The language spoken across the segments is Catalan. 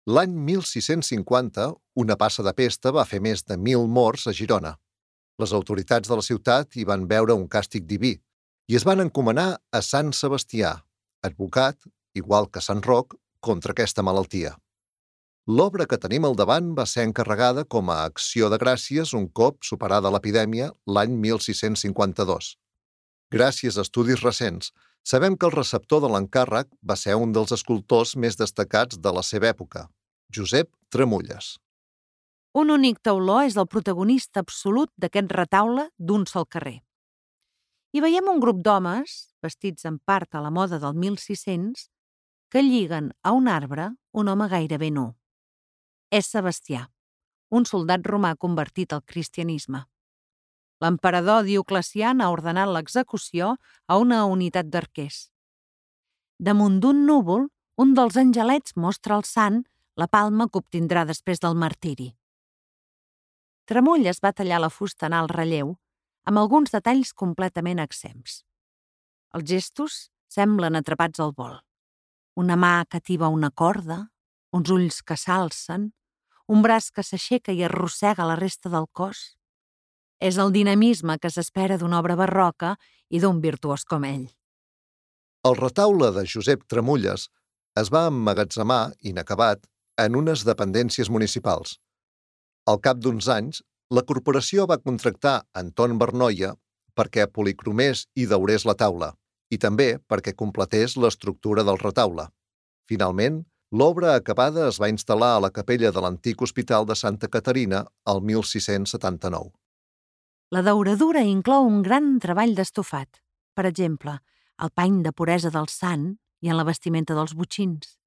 L'any 1650, una passa de pesta va fer més de 1.000 morts a Girona. Les autoritats de la ciutat hi van veure un càstig diví i es van encomanar a Sant Sebastià, advocat, igual que Sant Roc, contra aquesta malaltia. L'obra que tenim al davant va ser encarregada com a acció de gràcies un cop superada l'epidèmia l'any 1652. Gràcies a estudis recents, sabem que el receptor de l'encàrrec va ser un dels escultors més destacats de la seva època, Josep Tramulles. Un únic tauló és el protagonista absolut d'aquest retaule d'un sol carrer. Hi veiem un grup d'homes, vestits en part a la moda del 1600, que lliguen a un arbre un home gairebé nu. És Sebastià, un soldat romà convertit al cristianisme. L'emperador Dioclecià ha ordenat l'execució a una unitat d'arquers. Damunt d'un núvol, un dels angelets mostra al sant la palma que obtindrà després del martiri. Tramulles va tallar la fusta en alt relleu, amb alguns detalls completament exempts. Els gestos semblen atrapats al vol. Una mà que tiba una corda, uns ulls que s'alcen, un braç que s'aixeca i arrossega la resta del cos. És el dinamisme que s'espera d'una obra barroca i d'un virtuós com ell. El retaule de Josep Tramulles es va emmagatzemar, inacabat, en unes dependències municipals. Al cap d'uns anys, la corporació va contractar Anton Bernoia perquè policromés i daurés la taula, i també perquè completés l'estructura del retaule. Finalment, l'obra acabada es va instal·lar a la capella de l'antic Hospital de Santa Caterina el 1679. La dauradura inclou un gran treball d'estofat, per exemple, el pany de puresa del sant i en la vestimenta dels botxins.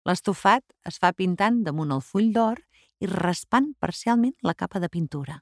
L'estofat es fa pintant damunt el full d'or i raspant parcialment la capa de pintura.